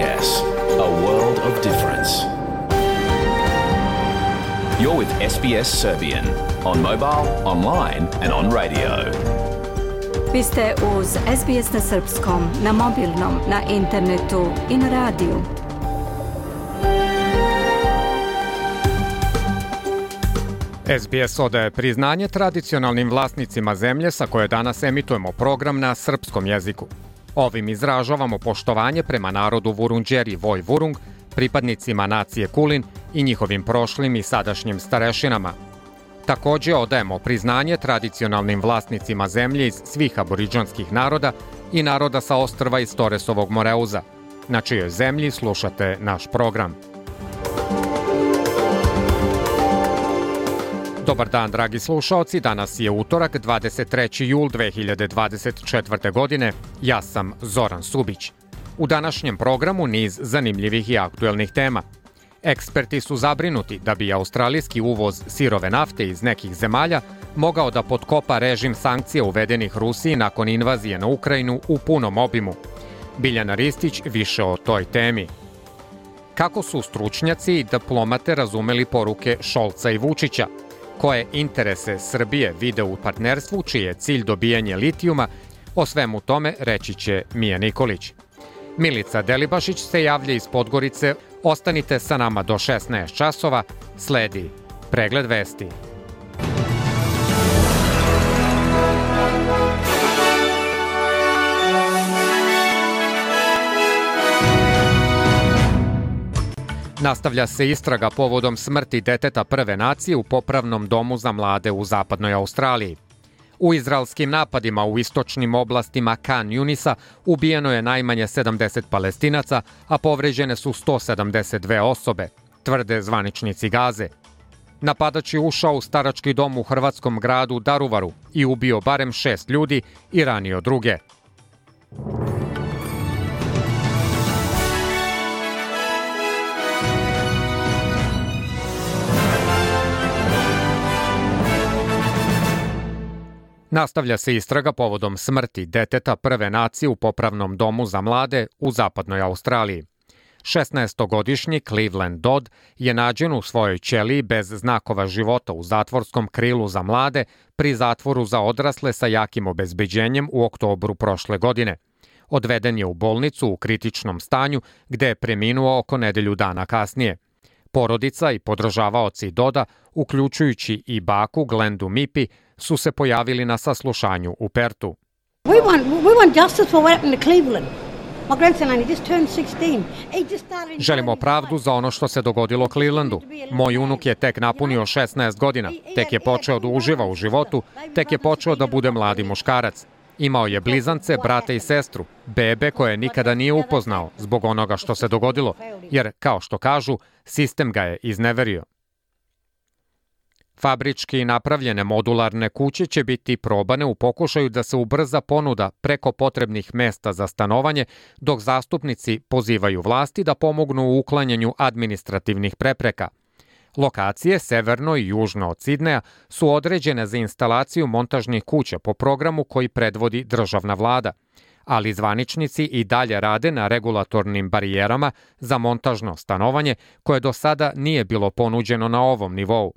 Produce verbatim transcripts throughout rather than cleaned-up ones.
S, a world of difference. You're with S B S Serbian on mobile, online and on radio. Vi ste uz S B S na srpskom, na mobilnom, na internetu i na radiju. S B S odaje priznanje tradicionalnim vlasnicima zemlje sa koje danas emitujemo program na srpskom jeziku. Ovim izražavamo poštovanje prema narodu Vurundjeri Voj Vurung, pripadnicima nacije Kulin i njihovim prošlim i sadašnjim starešinama. Također odajemo priznanje tradicionalnim vlasnicima zemlje iz svih aboriđanskih naroda i naroda sa ostrva iz Toresovog Moreuza, na čijoj zemlji slušate naš program. Dobar dan, dragi slušaoci, danas je utorak, dvadeset treći jul dve hiljade dvadeset četvrte. godine. Ja sam Zoran Subić. U današnjem programu niz zanimljivih i aktuelnih tema. Eksperti su zabrinuti da bi australijski uvoz sirove nafte iz nekih zemalja mogao da potkopa režim sankcija uvedenih Rusiji nakon invazije na Ukrajinu u punom obimu. Biljana Ristić više o toj temi. Kako su stručnjaci i diplomate razumeli poruke Šolca i Vučića? Koje interese Srbije vide u partnerstvu, čiji je cilj dobijanje litijuma? O svemu tome reći će Mija Nikolić. Milica Delibašić se javlja iz Podgorice. Ostanite sa nama do šesnaest časova. Sledi pregled vesti. Nastavlja se istraga povodom smrti deteta prve nacije u popravnom domu za mlade u zapadnoj Australiji. U izraelskim napadima u istočnim oblastima Khan Yunisa ubijeno je najmanje sedamdeset Palestinaca, a povređene su sto sedamdeset dve osobe, tvrde zvaničnici Gaze. Napadač je ušao u starački dom u hrvatskom gradu Daruvaru i ubio barem šest ljudi i ranio druge. Nastavlja se istraga povodom smrti deteta prve nacije u popravnom domu za mlade u zapadnoj Australiji. šesnaestogodišnji Cleveland Dodd je nađen u svojoj ćeliji bez znakova života u zatvorskom krilu za mlade pri zatvoru za odrasle sa jakim obezbeđenjem u oktobru prošle godine. Odveden je u bolnicu u kritičnom stanju gde je preminuo oko nedelju dana kasnije. Porodica i podržavaoci Doda, uključujući i baku Glendu Mipi, su se pojavili na saslušanju u Pertu. We want, we want justice for what happened to Cleveland. My grandson only just turned sixteen. He just started... Želimo pravdu za ono što se dogodilo Clevelandu. Moj unuk je tek napunio šesnaest godina, tek je počeo da uživa u životu, tek je počeo da bude mladi muškarac. Imao je blizance, brate i sestru, bebe koje nikada nije upoznao zbog onoga što se dogodilo, jer, kao što kažu, sistem ga je izneverio. Fabrički napravljene modularne kuće će biti probane u pokušaju da se ubrza ponuda preko potrebnih mesta za stanovanje, dok zastupnici pozivaju vlasti da pomognu u uklanjanju administrativnih prepreka. Lokacije severno i južno od Sidneja su određene za instalaciju montažnih kuća po programu koji predvodi državna vlada, ali zvaničnici i dalje rade na regulatornim barijerama za montažno stanovanje koje do sada nije bilo ponuđeno na ovom nivou.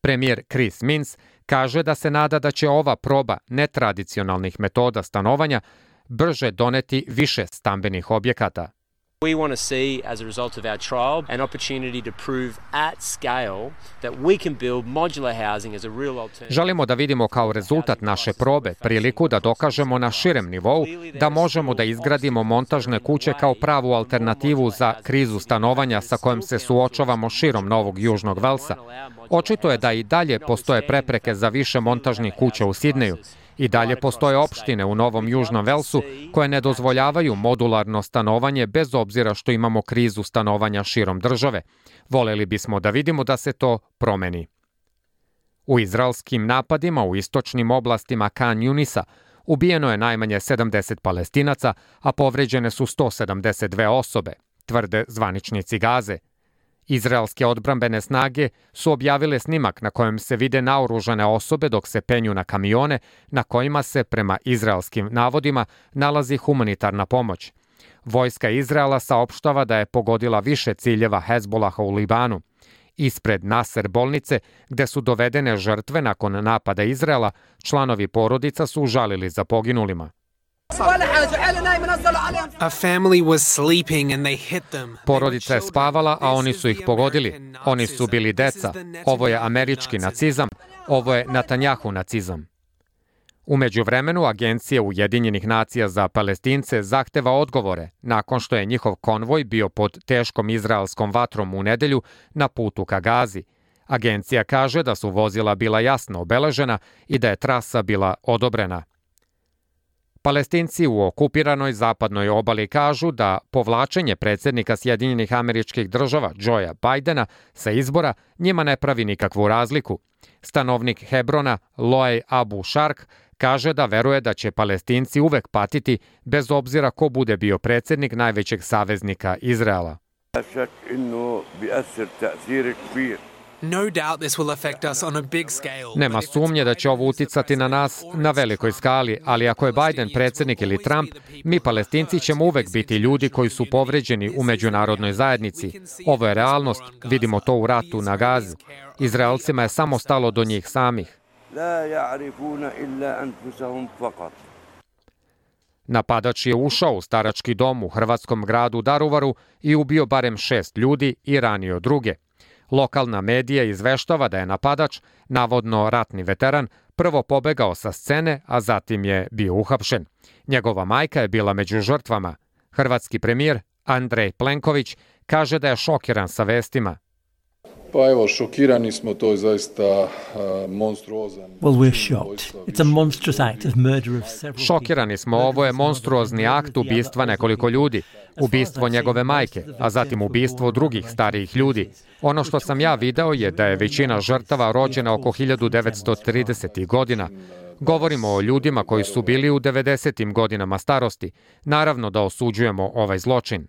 Premijer Chris Minns kaže da se nada da će ova proba netradicionalnih metoda stanovanja brže doneti više stambenih objekata. We want to see, as a result of our trial, an opportunity to prove at scale that we can build modular housing as a real alternative. Želimo da vidimo kao rezultat naše probe priliku da dokažemo na širem nivou da možemo da izgradimo montažne kuće kao pravu alternativu za krizu stanovanja sa kojom se suočavamo širom Novog Južnog Velsa. Očito je da i dalje postoje prepreke za više montažnih kuća u Sidneju. I dalje postoje opštine u Novom Južnom Velsu koje ne dozvoljavaju modularno stanovanje bez obzira što imamo krizu stanovanja širom države. Voleli bismo da vidimo da se to promeni. U izraelskim napadima u istočnim oblastima Khan Yunisa ubijeno je najmanje sedamdeset Palestinaca, a povređene su sto sedamdeset dve osobe, tvrde zvaničnici Gaze. Izraelske odbrambene snage su objavile snimak na kojem se vide naoružane osobe dok se penju na kamione na kojima se, prema izraelskim navodima, nalazi humanitarna pomoć. Vojska Izraela saopštava da je pogodila više ciljeva Hezbolaha u Libanu. Ispred Naser bolnice, gde su dovedene žrtve nakon napada Izraela, članovi porodica su žalili za poginulima. Porodica je spavala, a oni su ih pogodili. Oni su bili deca. Ovo je američki nacizam. Ovo je Netanjahu nacizam. U međuvremenu, Agencija Ujedinjenih nacija za Palestince zahteva odgovore nakon što je njihov konvoj bio pod teškom izraelskom vatrom u nedelju na putu ka Gazi. Agencija kaže da su vozila bila jasno obeležena i da je trasa bila odobrena. Palestinci u okupiranoj zapadnoj obali kažu da povlačenje predsjednika Sjedinjenih Američkih Država Joea Bidena sa izbora njima ne pravi nikakvu razliku. Stanovnik Hebrona Loej Abu Shark kaže da veruje da će Palestinci uvek patiti bez obzira ko bude bio predsjednik najvećeg saveznika Izraela. Nema sumnje da će ovo uticati na nas na velikoj skali, ali ako je Biden predsjednik ili Trump, mi Palestinci ćemo uvek biti ljudi koji su povređeni u međunarodnoj zajednici. Ovo je realnost, vidimo to u ratu na Gazi. Izraelcima je samo stalo do njih samih. Napadač je ušao u starački dom u hrvatskom gradu Daruvaru i ubio barem šest ljudi i ranio druge. Lokalna medija izveštava da je napadač, navodno ratni veteran, prvo pobegao sa scene, a zatim je bio uhapšen. Njegova majka je bila među žrtvama. Hrvatski premijer Andrej Plenković kaže da je šokiran sa vestima. Pa evo, šokirani smo, to je zaista uh, monstruozan. Well, we're shocked. It's a monstrous act of murder of several. Šokirani smo, ovo je monstruozni akt ubistva nekoliko ljudi. Ubistvo njegove majke, a zatim ubistvo drugih starijih ljudi. Ono što sam ja video je da je većina žrtava rođena oko hiljadu devetsto tridesetih godina. Govorimo o ljudima koji su bili u devedesetim godinama starosti. Naravno da osuđujemo ovaj zločin.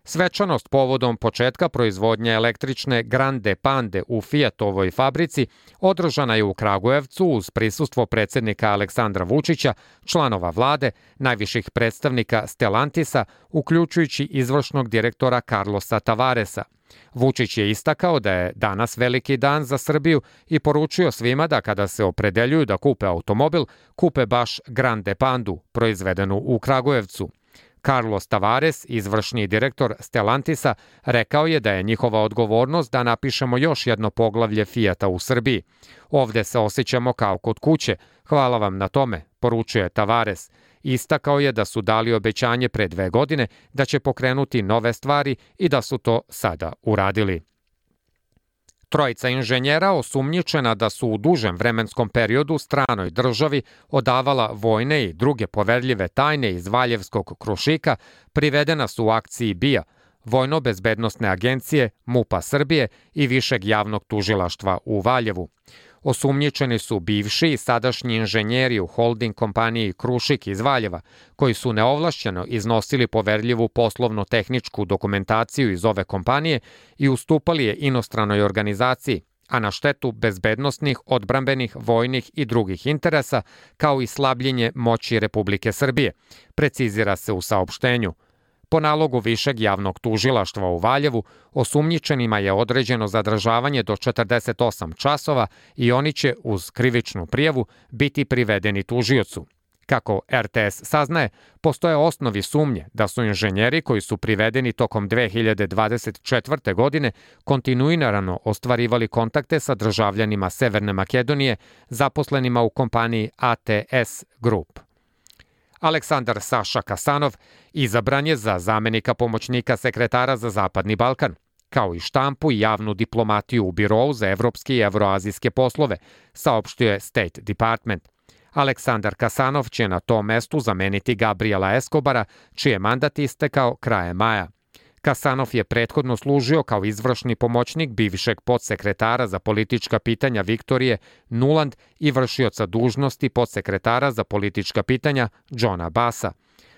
Svečanost povodom početka proizvodnje električne Grande Pande u Fiatovoj fabrici održana je u Kragujevcu uz prisustvo predsjednika Aleksandra Vučića, članova vlade, najviših predstavnika Stellantisa, uključujući izvršnog direktora Carlosa Tavaresa. Vučić je istakao da je danas veliki dan za Srbiju i poručio svima da kada se opredeljuju da kupe automobil, kupe baš Grande Pandu, proizvedenu u Kragujevcu. Carlos Tavares, izvršni direktor Stellantisa, rekao je da je njihova odgovornost da napišemo još jedno poglavlje Fijata u Srbiji. Ovde se osjećamo kao kod kuće. Hvala vam na tome, poručuje Tavares. Istakao je da su dali obećanje pre dve godine da će pokrenuti nove stvari i da su to sada uradili. Trojica inženjera osumnjičena da su u dužem vremenskom periodu stranoj državi odavala vojne i druge poverljive tajne iz Valjevskog Krušika privedena su u akciji B I A, Vojno-bezbednosne agencije, MUP-a Srbije i Višeg javnog tužilaštva u Valjevu. Osumnjičeni su bivši i sadašnji inženjeri u holding kompaniji Krušik iz Valjeva, koji su neovlašćeno iznosili poverljivu poslovno-tehničku dokumentaciju iz ove kompanije i ustupali je inostranoj organizaciji, a na štetu bezbednosnih, odbrambenih, vojnih i drugih interesa, kao i slabljenje moći Republike Srbije, precizira se u saopštenju. Po nalogu Višeg javnog tužilaštva u Valjevu, osumnjičenima je određeno zadržavanje do četrdeset osam časova i oni će uz krivičnu prijavu biti privedeni tužiocu. Kako R T S saznaje, postoje osnovi sumnje da su inženjeri koji su privedeni tokom dve hiljade dvadeset četvrte. godine kontinuirano ostvarivali kontakte sa državljanima Severne Makedonije, zaposlenima u kompaniji A T S Group. Aleksandar Saša Kasanov izabran je za zamenika pomoćnika sekretara za Zapadni Balkan, kao i štampu i javnu diplomatiju u Birou za evropske i evroazijske poslove, saopštio je State Department. Aleksandar Kasanov će na tom mestu zameniti Gabriela Escobara, čiji je mandat istekao krajem maja. Kasanov je prethodno služio kao izvršni pomoćnik bivšeg podsekretara za politička pitanja Viktorije Nuland i vršioca dužnosti podsekretara za politička pitanja Johna Bassa.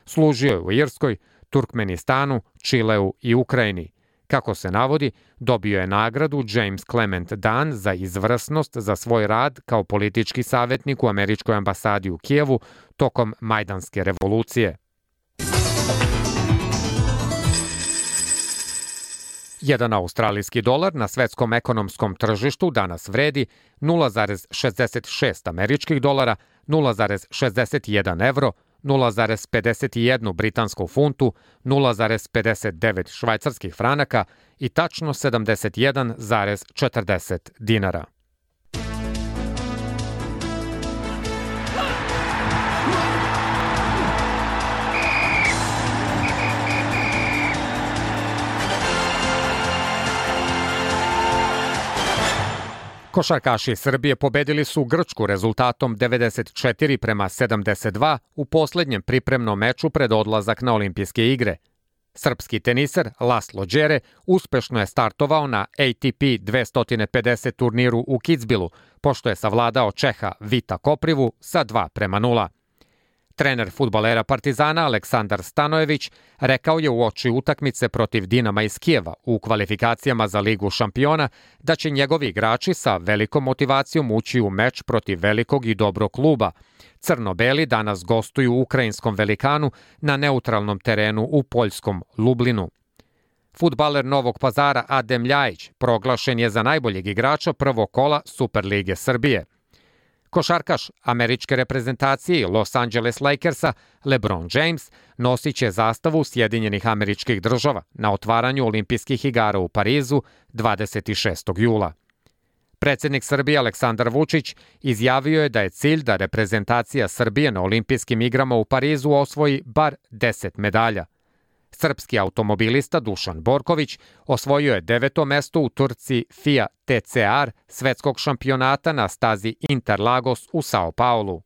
Služio je u Irskoj, Turkmenistanu, Čileu i Ukrajini. Kako se navodi, dobio je nagradu James Clement Dan za izvrsnost za svoj rad kao politički savjetnik u američkoj ambasadi u Kijevu tokom Majdanske revolucije. Jedan australijski dolar na svetskom ekonomskom tržištu danas vredi nula zarez šezdeset šest američkih dolara, nula zarez šezdeset jedan evro, nula zarez pedeset jedan britansku funtu, nula zarez pedeset devet švajcarskih franaka i tačno sedamdeset jedan zarez četrdeset dinara. Košarkaši Srbije pobedili su Grčku rezultatom devedeset četiri prema sedamdeset dva u poslednjem pripremnom meču pred odlazak na olimpijske igre. Srpski teniser Laslo Đere uspešno je startovao na A T P dvesta pedeset turniru u Kitzbühelu, pošto je savladao Čeha Vita Koprivu sa dva prema nula. Trener fudbalera Partizana Aleksandar Stanojević rekao je uoči utakmice protiv Dinama iz Kijeva u kvalifikacijama za Ligu šampiona da će njegovi igrači sa velikom motivacijom ući u meč protiv velikog i dobrog kluba. Crno-beli danas gostuju u ukrajinskom Velikanu na neutralnom terenu u poljskom Lublinu. Fudbaler Novog Pazara Adem Ljajić proglašen je za najboljeg igrača prvog kola Superlige Srbije. Košarkaš američke reprezentacije i Los Angeles Lakersa LeBron James nosit će zastavu Sjedinjenih Američkih Država na otvaranju olimpijskih igara u Parizu dvadeset šestog jula. Predsjednik Srbije Aleksandar Vučić izjavio je da je cilj da reprezentacija Srbije na olimpijskim igrama u Parizu osvoji bar deset medalja. Srpski automobilista Dušan Borković osvojio je deveto mesto u trci F I A T C R svetskog šampionata na stazi Interlagos u Sao Paulu.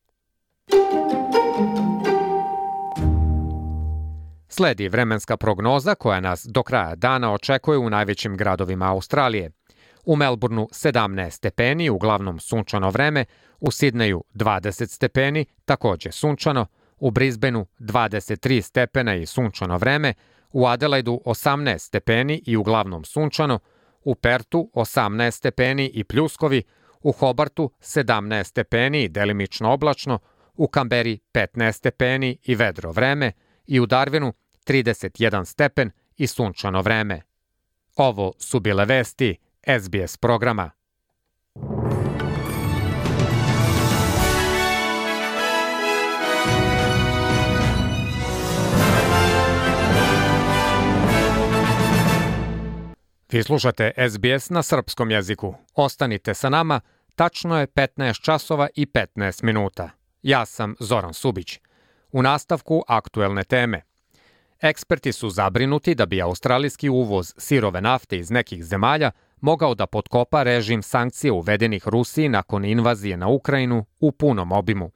Sledi vremenska prognoza koja nas do kraja dana očekuje u najvećim gradovima Australije. U Melbourneu sedamnaest stepeni, uglavnom sunčano vreme, u Sidneju dvadeset stepeni, takođe sunčano, u Brisbaneu dvadeset tri stepena i sunčano vreme, u Adelaidu osamnaest stepeni i uglavnom sunčano, u Pertu osamnaest stepeni i pljuskovi, u Hobartu sedamnaest stepeni i delimično oblačno, u Kamberi petnaest stepeni i vedro vreme i u Darwinu trideset jedan stepen i sunčano vreme. Ovo su bile vesti S B S programa. Vi slušate S B S na srpskom jeziku. Ostanite sa nama, tačno je petnaest časova i petnaest minuta. Ja sam Zoran Subić. U nastavku aktuelne teme. Eksperti su zabrinuti da bi australijski uvoz sirove nafte iz nekih zemalja mogao da potkopa režim sankcija uvedenih Rusiji nakon invazije na Ukrajinu u punom obimu.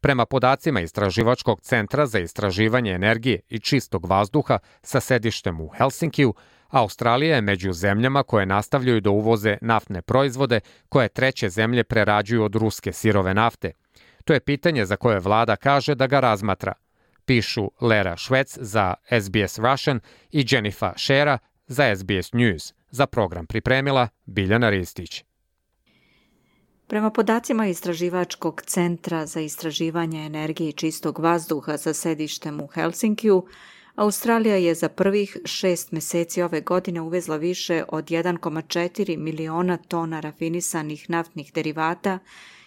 Prema podacima Istraživačkog centra za istraživanje energije i čistog vazduha sa sedištem u Helsinkiju, Australija je među zemljama koje nastavljaju da uvoze naftne proizvode koje treće zemlje prerađuju od ruske sirove nafte. To je pitanje za koje vlada kaže da ga razmatra. Pišu Lera Švec za S B S Russian i Jennifer Shera za S B S News. Za program pripremila Biljana Ristić. Prema podacima Istraživačkog centra za istraživanje energije i čistog vazduha sa sedištem u Helsinkiju, Australija je za prvih šest meseci ove godine uvezla više od jedan zarez četiri miliona tona rafinisanih naftnih derivata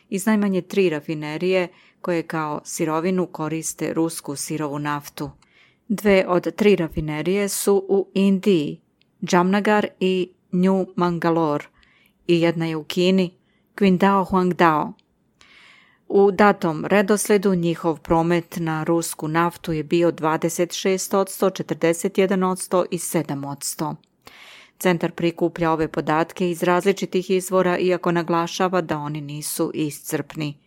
iz najmanje tri rafinerije koje kao sirovinu koriste rusku sirovu naftu. Dve od tri rafinerije su u Indiji, Jamnagar i New Mangalore, i jedna je u Kini, Qingdao Huangdao. U datom redosledu njihov promet na rusku naftu je bio dvadeset šest posto, četrdeset jedan posto i sedam posto. Centar prikuplja ove podatke iz različitih izvora, iako naglašava da oni nisu iscrpni.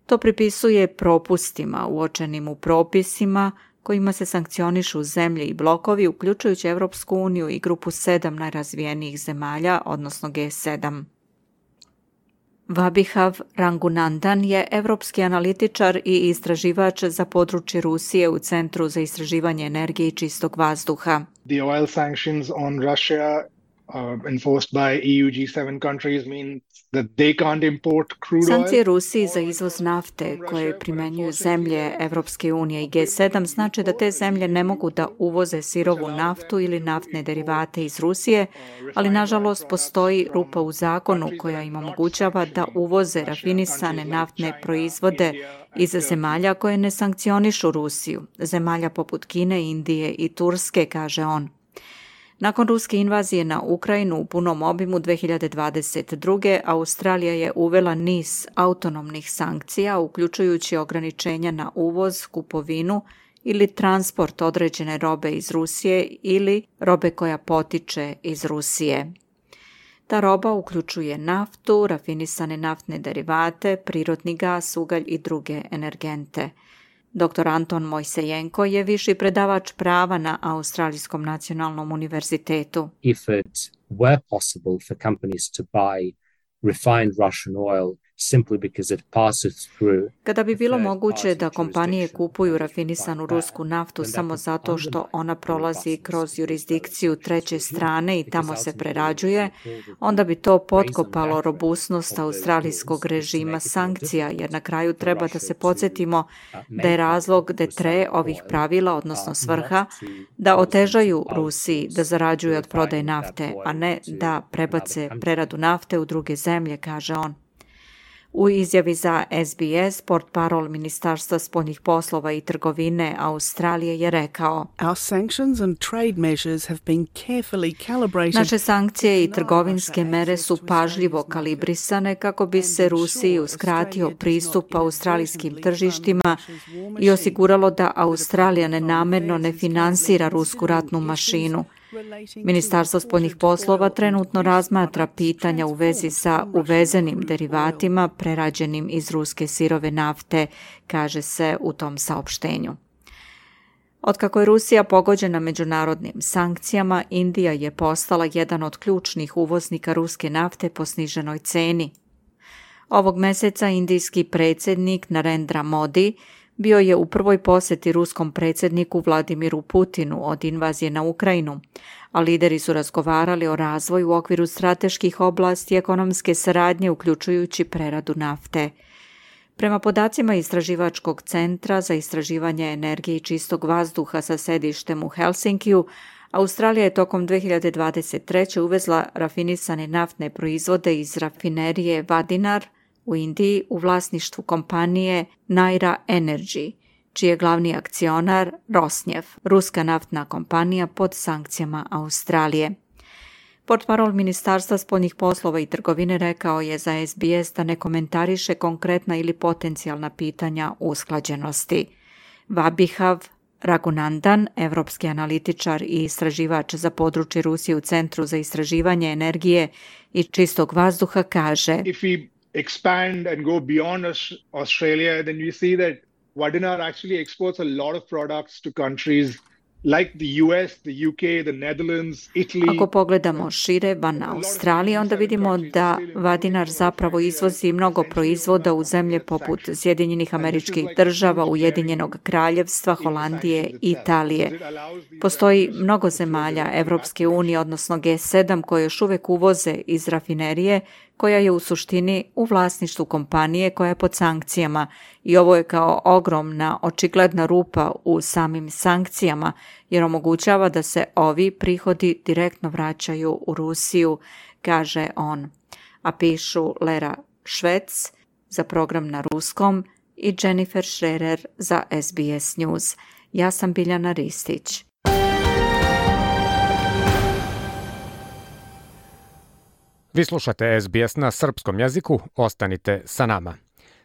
To pripisuje propustima uočenim u propisima kojima se sankcionišu zemlje i blokovi, uključujući Evropsku uniju i grupu sedam najrazvijenijih zemalja, odnosno G sedam. Vabihav Rangunandan je evropski analitičar i istraživač za područje Rusije u Centru za istraživanje energije i čistog vazduha. The oil sanctions on Russia uh, enforced by E U G seven countries mean that they can't import crude oil. Sankcije Rusiji za izvoz nafte koje primjenjuju zemlje Evropske unije i G sedam znači da te zemlje ne mogu da uvoze sirovu naftu ili naftne derivate iz Rusije, ali nažalost postoji rupa u zakonu koja im omogućava da uvoze rafinisane naftne proizvode iz zemalja koje ne sankcionišu Rusiju, zemalja poput Kine, Indije i Turske, kaže on. Nakon ruske invazije na Ukrajinu u punom obimu dve hiljade dvadeset druge. Australija je uvela niz autonomnih sankcija, uključujući ograničenja na uvoz, kupovinu ili transport određene robe iz Rusije ili robe koja potiče iz Rusije. Ta roba uključuje naftu, rafinisane naftne derivate, prirodni gas, ugalj i druge energente. doktor Anton Mojsejenko je viši predavač prava na Australijskom nacionalnom univerzitetu. If it were possible for companies to buy refined Russian oil simply because it passes through. Kada bi bilo moguće da kompanije kupuju rafinisanu rusku naftu samo zato što ona prolazi kroz jurisdikciju treće strane i tamo se prerađuje, onda bi to potkopalo robusnost australijskog režima sankcija, jer na kraju treba da se podsjetimo da je razlog detre ovih pravila, odnosno svrha, da otežaju Rusiji da zarađuje od prodaje nafte, a ne da prebace preradu nafte u druge zemlje, kaže on. U izjavi za S B S, portparol Ministarstva spoljnih poslova i trgovine Australije je rekao: Naše sankcije i trgovinske mere su pažljivo kalibrisane kako bi se Rusiji uskratio pristup australijskim tržištima i osiguralo da Australija nenamerno ne finansira rusku ratnu mašinu. Ministarstvo spoljnih poslova trenutno razmatra pitanja u vezi sa uvezenim derivatima prerađenim iz ruske sirove nafte, kaže se u tom saopštenju. Otkako je Rusija pogođena međunarodnim sankcijama, Indija je postala jedan od ključnih uvoznika ruske nafte po sniženoj ceni. Ovog meseca indijski predsjednik Narendra Modi bio je u prvoj posjeti ruskom predsjedniku Vladimiru Putinu od invazije na Ukrajinu, a lideri su razgovarali o razvoju u okviru strateških oblasti ekonomske saradnje, uključujući preradu nafte. Prema podacima Istraživačkog centra za istraživanje energije i čistog vazduha sa sedištem u Helsinkiju, Australija je tokom dve hiljade dvadeset treće. uvezla rafinisane naftne proizvode iz rafinerije Vadinar u Indiji u vlasništvu kompanije Naira Energy, čiji je glavni akcionar Rosneft, ruska naftna kompanija pod sankcijama Australije. Portparol Ministarstva spoljnih poslova i trgovine rekao je za S B S da ne komentariše konkretna ili potencijalna pitanja usklađenosti. Vabihav Ragunandan, evropski analitičar i istraživač za područje Rusije u Centru za istraživanje energije i čistog vazduha, kaže: If we expand and go beyond Australia, then we see that Vadinar actually exports a lot of products to countries like the U S, the U K, the Netherlands, Italy. Ako pogledamo šire van Australije, onda vidimo da Vadinar zapravo izvozi mnogo proizvoda u zemlje poput Sjedinjenih Američkih Država, Ujedinjenog Kraljevstva, Holandije i Italije. Postoji mnogo zemalja Evropske unije, odnosno G sedam, koje još uvek uvoze iz rafinerije, koja je u suštini u vlasništvu kompanije koja je pod sankcijama, i ovo je kao ogromna, očigledna rupa u samim sankcijama, jer omogućava da se ovi prihodi direktno vraćaju u Rusiju, kaže on. A pišu Lera Švec za program na ruskom i Jennifer Schrerer za S B S News. Ja sam Biljana Ristić. Vi slušate S B S na srpskom jeziku, ostanite sa nama.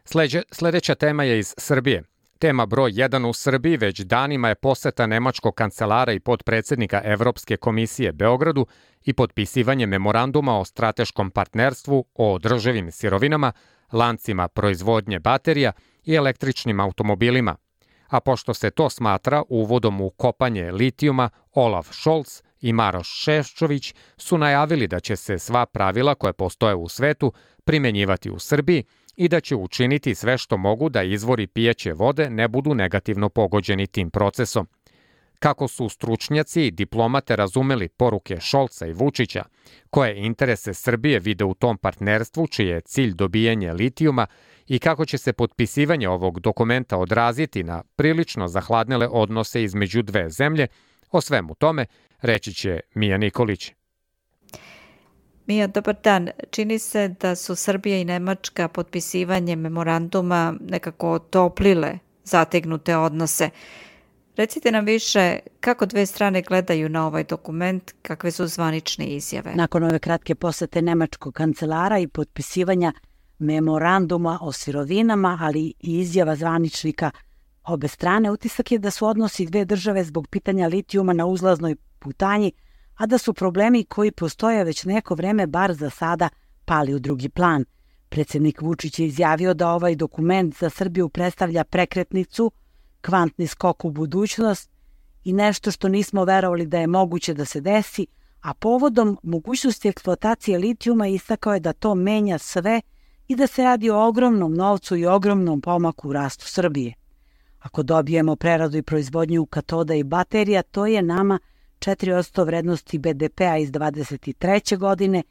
Sleđe, sledeća tema je iz Srbije. Tema broj jedan u Srbiji već danima je poseta nemačkog kancelara i potpredsjednika Evropske komisije Beogradu i potpisivanje memoranduma o strateškom partnerstvu o održivim sirovinama, lancima proizvodnje baterija i električnim automobilima. A pošto se to smatra uvodom u kopanje litijuma, Olaf Scholz i Maroš Šefčović su najavili da će se sva pravila koje postoje u svetu primenjivati u Srbiji i da će učiniti sve što mogu da izvori pijaće vode ne budu negativno pogođeni tim procesom. Kako su stručnjaci i diplomate razumeli poruke Šolca i Vučića, koje interese Srbije vide u tom partnerstvu čiji je cilj dobijanje litijuma i kako će se potpisivanje ovog dokumenta odraziti na prilično zahladnele odnose između dve zemlje, o svemu tome reći će Mija Nikolić. Mija, dobar dan. Čini se da su Srbija i Nemačka potpisivanjem memoranduma nekako otoplile zategnute odnose. Recite nam više kako dve strane gledaju na ovaj dokument, kakve su zvanične izjave. Nakon ove kratke posete nemačkog kancelara i potpisivanja memoranduma o sirovinama, ali i izjava zvaničnika obe strane, utisak je da su odnosi dve države zbog pitanja litijuma na uzlaznoj putanji, a da su problemi koji postoje već neko vreme bar za sada pali u drugi plan. Predsjednik Vučić je izjavio da ovaj dokument za Srbiju predstavlja prekretnicu, kvantni skok u budućnost i nešto što nismo verovali da je moguće da se desi, a povodom mogućnosti eksploatacije litijuma istakao je da to menja sve i da se radi o ogromnom novcu i ogromnom pomaku u rastu Srbije. Ako dobijemo preradu i proizvodnju katoda i baterija, to je nama četiri posto vrednosti be de pea iz dvadeset treće godine.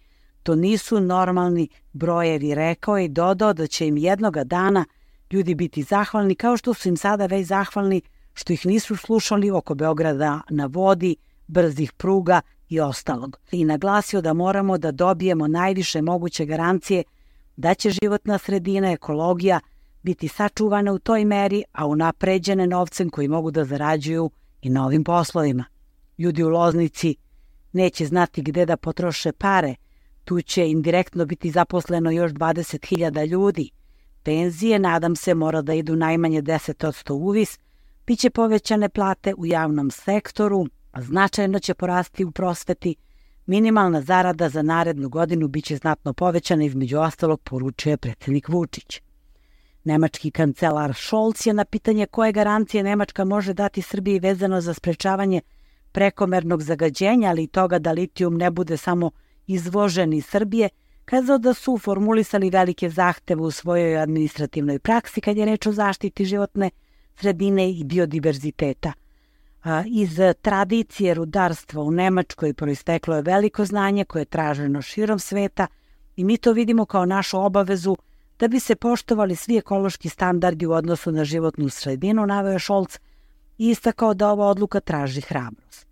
To nisu normalni brojevi, rekao je i dodao da će im jednoga dana ljudi biti zahvalni, kao što su im sada već zahvalni što ih nisu slušali oko Beograda na vodi, brzih pruga i ostalog. I naglasio da moramo da dobijemo najviše moguće garancije da će životna sredina, ekologija biti sačuvane u toj meri, a unapređene novcem koji mogu da zarađuju i na ovim poslovima. Ljudi u Loznici neće znati gde da potroše pare, tu će indirektno biti zaposleno još dvadeset hiljada ljudi. Penzije, nadam se, mora da idu najmanje deset posto uvis, biće povećane plate u javnom sektoru, a značajno će porasti u prosveti, minimalna zarada za narednu godinu biće znatno povećana, između ostalog poručuje predsjednik Vučić. Nemački kancelar Scholz je na pitanje koje garancije Nemačka može dati Srbiji vezano za sprečavanje prekomernog zagađenja, ali i toga da litijum ne bude samo izvožen iz Srbije, kazao da su formulisali velike zahteve u svojoj administrativnoj praksi kad je reč o zaštiti životne sredine i biodiverziteta. Iz tradicije rudarstva u Nemačkoj proisteklo je veliko znanje koje je traženo širom sveta i mi to vidimo kao našu obavezu da bi se poštovali svi ekološki standardi u odnosu na životnu sredinu, naveo je Scholz i istakao da ova odluka traži hrabrost.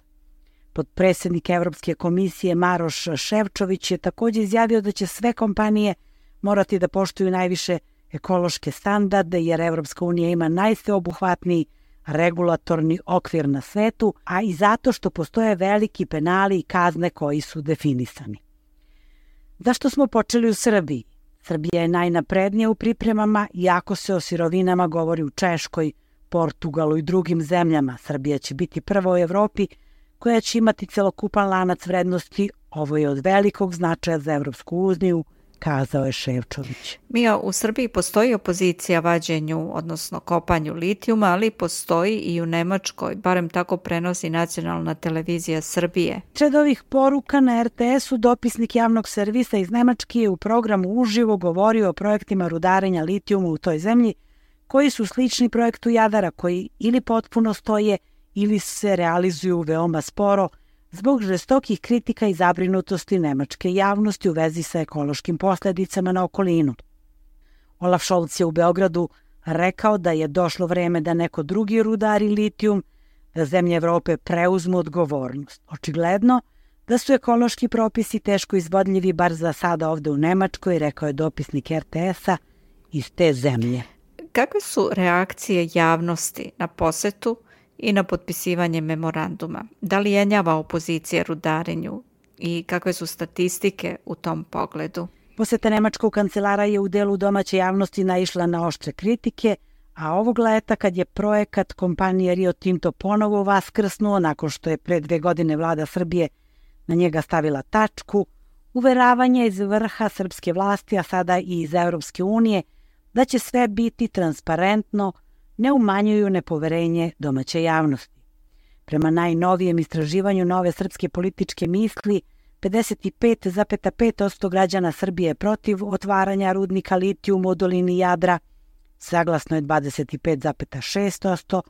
Potpredsjednik Evropske komisije Maroš Šefčović je također izjavio da će sve kompanije morati da poštuju najviše ekološke standarde, jer Evropska unija ima najsveobuhvatniji regulatorni okvir na svetu, a i zato što postoje veliki penali i kazne koji su definisani. Zašto smo počeli u Srbiji? Srbija je najnaprednija u pripremama, iako se o sirovinama govori u Češkoj, Portugalu i drugim zemljama. Srbija će biti prva u Evropi koja će imati celokupan lanac vrednosti. Ovo je od velikog značaja za Evropsku uniju, kazao je Šefčović. Mija, u Srbiji postoji opozicija vađenju, odnosno kopanju litijuma, ali postoji i u Nemačkoj, barem tako prenosi nacionalna televizija Srbije. Sred ovih poruka na er te esu dopisnik javnog servisa iz Nemačke je u programu uživo govorio o projektima rudarenja litijuma u toj zemlji, koji su slični projektu Jadara, koji ili potpuno stoje ili se realizuju veoma sporo, zbog žestokih kritika i zabrinutosti nemačke javnosti u vezi sa ekološkim posljedicama na okolinu. Olaf Scholz je u Beogradu rekao da je došlo vreme da neko drugi rudari litijum, da zemlje Evrope preuzmu odgovornost. Očigledno da su ekološki propisi teško izvodljivi, bar za sada ovde u Nemačkoj, rekao je dopisnik er te esa iz te zemlje. Kakve su reakcije javnosti na posetu i na potpisivanje memoranduma? Da li jenjava opozicija rudarenju i kakve su statistike u tom pogledu? Poseta nemačkog kancelara je u delu domaće javnosti naišla na oštre kritike, a ovog leta kad je projekat kompanije Rio Tinto ponovo vaskrsnuo nakon što je pre dve godine vlada Srbije na njega stavila tačku, uveravanje iz vrha srpske vlasti, a sada i iz Evropske unije, da će sve biti transparentno, ne umanjuju nepoverenje domaće javnosti. Prema najnovijem istraživanju Nove srpske političke misli, pedeset pet zarez pet posto građana Srbije je protiv otvaranja rudnika litijuma u dolini Jadra, saglasno je dvadeset pet zarez šest posto,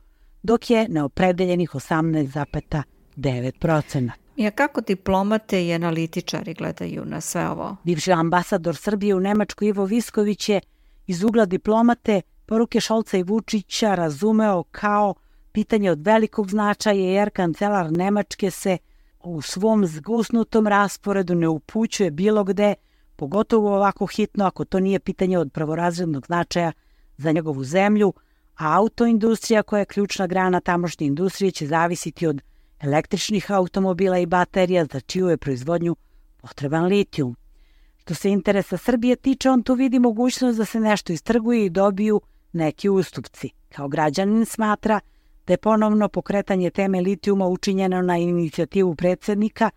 dok je neopredeljenih osamnaest zarez devet posto. I kako diplomate i analitičari gledaju na sve ovo? Bivši ambasador Srbije u Nemačkoj Ivo Visković je iz ugla diplomate poruke Šolca i Vučića razumeo kao pitanje od velikog značaja, jer kancelar Nemačke se u svom zgusnutom rasporedu ne upućuje bilo gde, pogotovo ovako hitno ako to nije pitanje od prvorazrednog značaja za njegovu zemlju, a autoindustrija koja je ključna grana tamošnje industrije će zavisiti od električnih automobila i baterija za čiju je proizvodnju potreban litijum. Što se interesa Srbije tiče, on tu vidi mogućnost da se nešto istrguje i dobiju neki ustupci. Kao građanin smatra da je ponovno pokretanje teme litijuma učinjeno na inicijativu predsjednika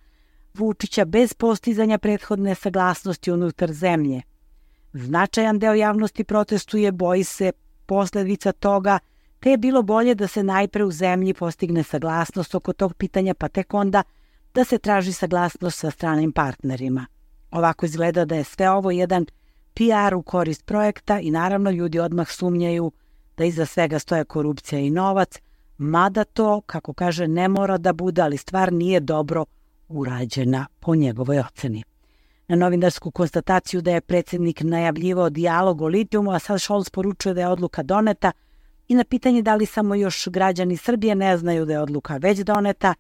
Vučića bez postizanja prethodne saglasnosti unutar zemlje. Značajan deo javnosti protestuje, boji se posljedica toga, te je bilo bolje da se najpre u zemlji postigne saglasnost oko tog pitanja, pa tek onda da se traži saglasnost sa stranim partnerima. Ovako izgleda da je sve ovo jedan P R u korist projekta i naravno ljudi odmah sumnjaju da iza svega stoje korupcija i novac, mada to, kako kaže, ne mora da bude, ali stvar nije dobro urađena po njegovoj oceni. Na novinarsku konstataciju da je predsjednik najavljivao dijalog o litijumu, a sad Scholz poručuje da je odluka doneta, i na pitanje da li samo još građani Srbije ne znaju da je odluka već doneta,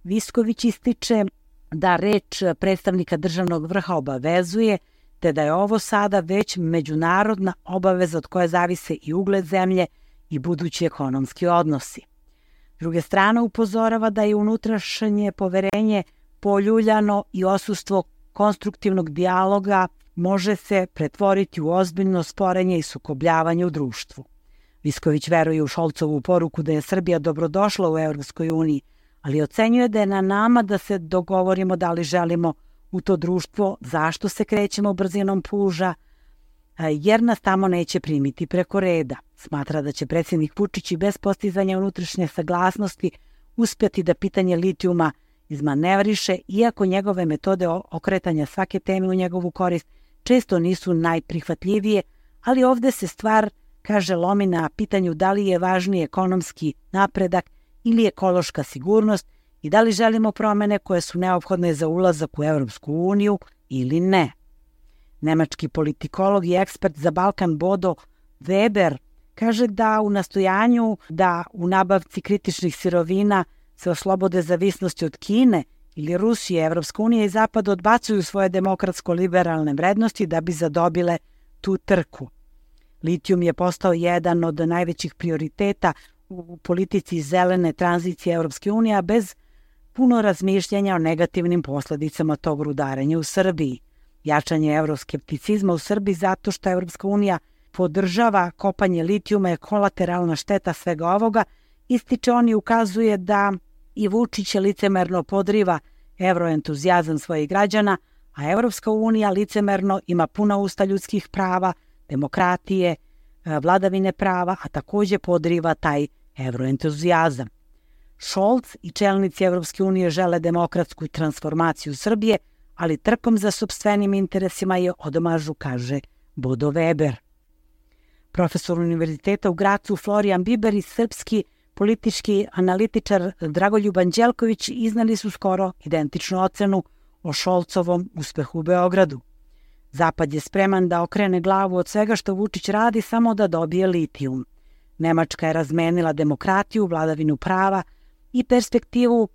Visković ističe da reč predstavnika državnog vrha obavezuje, te da je ovo sada već međunarodna obaveza od koje zavise i ugled zemlje i budući ekonomski odnosi. S druge strane upozorava da je unutrašnje poverenje poljuljano i odsustvo konstruktivnog dijaloga može se pretvoriti u ozbiljno sporenje i sukobljavanje u društvu. Visković veruje u Šolcovu poruku da je Srbija dobrodošla u Europskoj uniji, ali ocenjuje da je na nama da se dogovorimo da li želimo u to društvo, zašto se krećemo brzinom puža, jer nas tamo neće primiti preko reda. Smatra da će predsjednik Vučić i bez postizanja unutrašnje saglasnosti uspjeti da pitanje litijuma izmanevriše, iako njegove metode okretanja svake teme u njegovu korist često nisu najprihvatljivije, ali ovdje se stvar, kaže, lomi na pitanju da li je važniji ekonomski napredak ili ekološka sigurnost i da li želimo promjene koje su neophodne za ulazak u Europsku uniju ili ne. Nemački politikolog i ekspert za Balkan Bodo Weber kaže da u nastojanju da u nabavci kritičnih sirovina se oslobode zavisnosti od Kine ili Rusije, Evropska unija i Zapad odbacuju svoje demokratsko-liberalne vrednosti da bi zadobile tu trku. Litijum je postao jedan od najvećih prioriteta u politici zelene tranzicije Evropske unije, a bez puno razmišljanja o negativnim posljedicama tog rudarenja u Srbiji. Jačanje euroskepticizma u Srbiji zato što Evropska unija podržava kopanje litijuma je kolateralna šteta svega ovoga, ističe on i ukazuje da i Vučić licemerno podriva evroentuzijazam svojih građana, a Evropska unija licemerno ima puna usta ljudskih prava, demokratije, vladavine prava, a također podriva taj evroentuzijazam. Scholz i čelnici Evropske unije žele demokratsku transformaciju Srbije, ali trkom za sopstvenim interesima je odmažu, kaže Bodo Weber. Profesor univerziteta u Gracu Florijan Biber i srpski politički analitičar Dragoljub Anđelković iznali su skoro identičnu ocenu o Scholzovom uspehu u Beogradu. Zapad je spreman da okrene glavu od svega što Vučić radi samo da dobije litijum. Nemačka je razmenila demokratiju, vladavinu prava i perspektivu